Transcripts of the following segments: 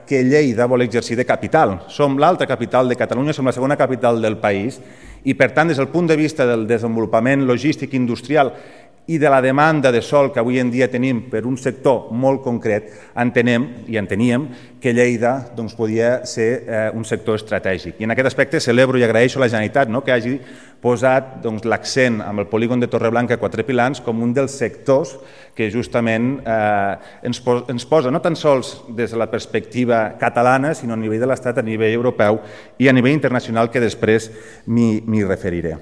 que Lleida vol exercir de capital. Som l'altra capital de Catalunya, som la segona capital del país i, per tant, des del punt de vista del desenvolupament logístic industrial i de la demanda de sòl que avui en dia tenim per un sector molt concret, entenem i enteníem que Lleida podia ser un sector estratègic. I en aquest aspecte celebro i agraeixo a la Generalitat que hagi posat l'accent amb el polígon de Torreblanca Quatre Pilans com un dels sectors que justament ens posa no tan sols des de la perspectiva catalana, sinó a nivell de l'Estat, a nivell europeu i a nivell internacional, que després m'hi referiré.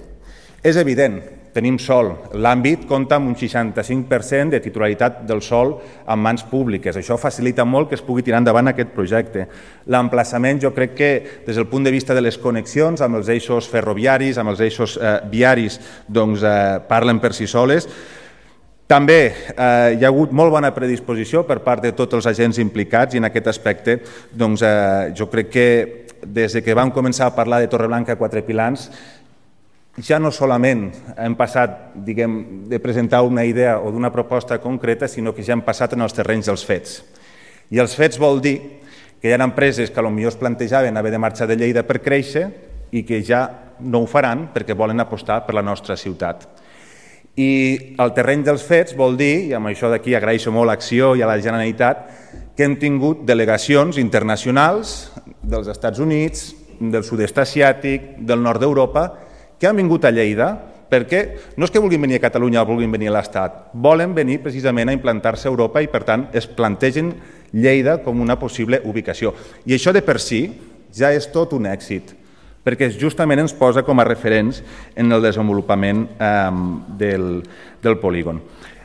És evident, tenim sòl. L'àmbit compta amb un 65% de titularitat del sòl en mans públiques. Això facilita molt que es pugui tirar endavant aquest projecte. L'emplaçament, jo crec que des del punt de vista de les connexions amb els eixos ferroviaris, amb els eixos viaris, parlen per si soles. També hi ha hagut molt bona predisposició per part de tots els agents implicats i en aquest aspecte jo crec que des que vam començar a parlar de Torreblanca Quatre Pilans ja no solament hem passat de presentar una idea o d'una proposta concreta, sinó que ja hem passat en els terrenys dels fets. I els fets vol dir que hi ha empreses que potser es plantejaven haver de marxar de Lleida per créixer i que ja no ho faran perquè volen apostar per la nostra ciutat. I el terreny dels fets vol dir, i amb això d'aquí agraeixo molt l'Acció i a la Generalitat, que hem tingut delegacions internacionals dels Estats Units, del sud-est asiàtic, del nord d'Europa, que han vingut a Lleida perquè no és que vulguin venir a Catalunya o vulguin venir a l'Estat, volen venir precisament a implantar-se a Europa i, per tant, es plantegen Lleida com una possible ubicació. I això de per si ja és tot un èxit, perquè justament ens posa com a referents en el desenvolupament del polígon.